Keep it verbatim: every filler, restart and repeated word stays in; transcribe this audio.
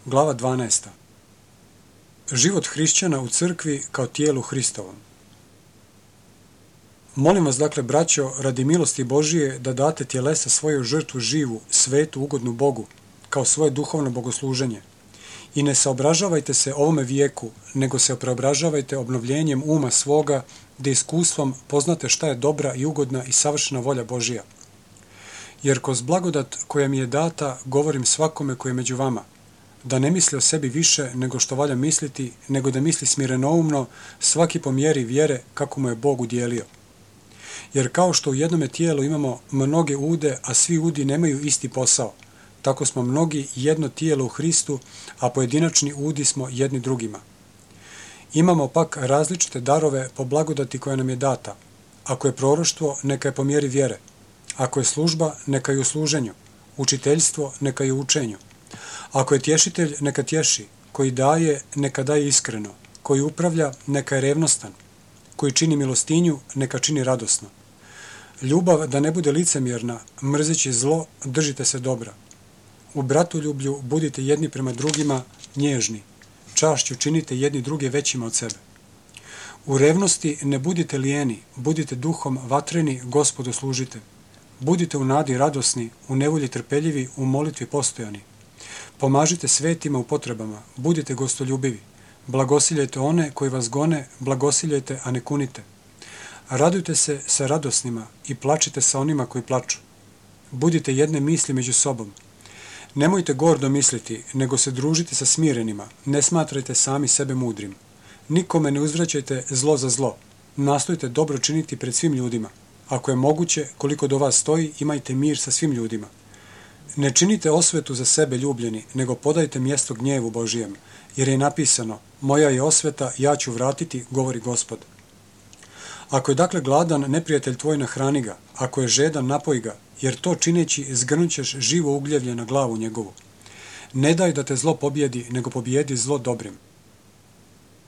Glava dvanaesta. Život hrišćana u crkvi kao tijelu Hristovom. Molim vas dakle, braćo, radi milosti Božije, da date tjelesa svoju žrtvu živu, svetu, ugodnu Bogu, kao svoje duhovno bogosluženje. I ne saobražavajte se ovome vijeku, nego se preobražavajte obnovljenjem uma svoga, da iskustvom poznate šta je dobra i ugodna i savršena volja Božija. Jer kroz blagodat koja mi je data, govorim svakome koji je među vama, da ne misli o sebi više nego što valja misliti, nego da misli smirenoumno, svaki po mjeri vjere kako mu je Bog udjelio. Jer kao što u jednome tijelu imamo mnoge ude, a svi udi nemaju isti posao, tako smo mnogi jedno tijelo u Hristu, a pojedinačni udi smo jedni drugima. Imamo pak različite darove po blagodati koja nam je data. Ako je proroštvo, neka je po mjeri vjere. Ako je služba, neka je u služenju. Učiteljstvo, neka je u učenju. Ako je tješitelj, neka tješi. Koji daje, neka daje iskreno. Koji upravlja, neka je revnostan. Koji čini milostinju, neka čini radosno. Ljubav da ne bude licemjerna, mrzeći zlo, držite se dobra. U bratoljublju budite jedni prema drugima nježni. Čašću činite jedni druge većima od sebe. U revnosti ne budite lijeni, budite duhom vatreni, Gospodu služite. Budite u nadi radosni, u nevolji trpeljivi, u molitvi postojani. Pomažite svetima u potrebama, budite gostoljubivi. Blagosiljajte one koji vas gone, blagosiljajte, a ne kunite. Radujte se sa radosnima i plačite sa onima koji plaču. Budite jedne misli među sobom. Nemojte gordo misliti, nego se družite sa smirenima, ne smatrajte sami sebe mudrim. Nikome ne uzvraćajte zlo za zlo. Nastojte dobro činiti pred svim ljudima. Ako je moguće, koliko do vas stoji, imajte mir sa svim ljudima. Ne činite osvetu za sebe ljubljeni, nego podajte mjesto gnjevu Božijem, jer je napisano, moja je osveta, ja ću vratiti, govori Gospod. Ako je dakle gladan, neprijatelj tvoj nahrani ga, ako je žedan, napoj ga, jer to čineći zgrnućeš živo ugljevlje na glavu njegovu. Ne daj da te zlo pobjedi, nego pobjedi zlo dobrim.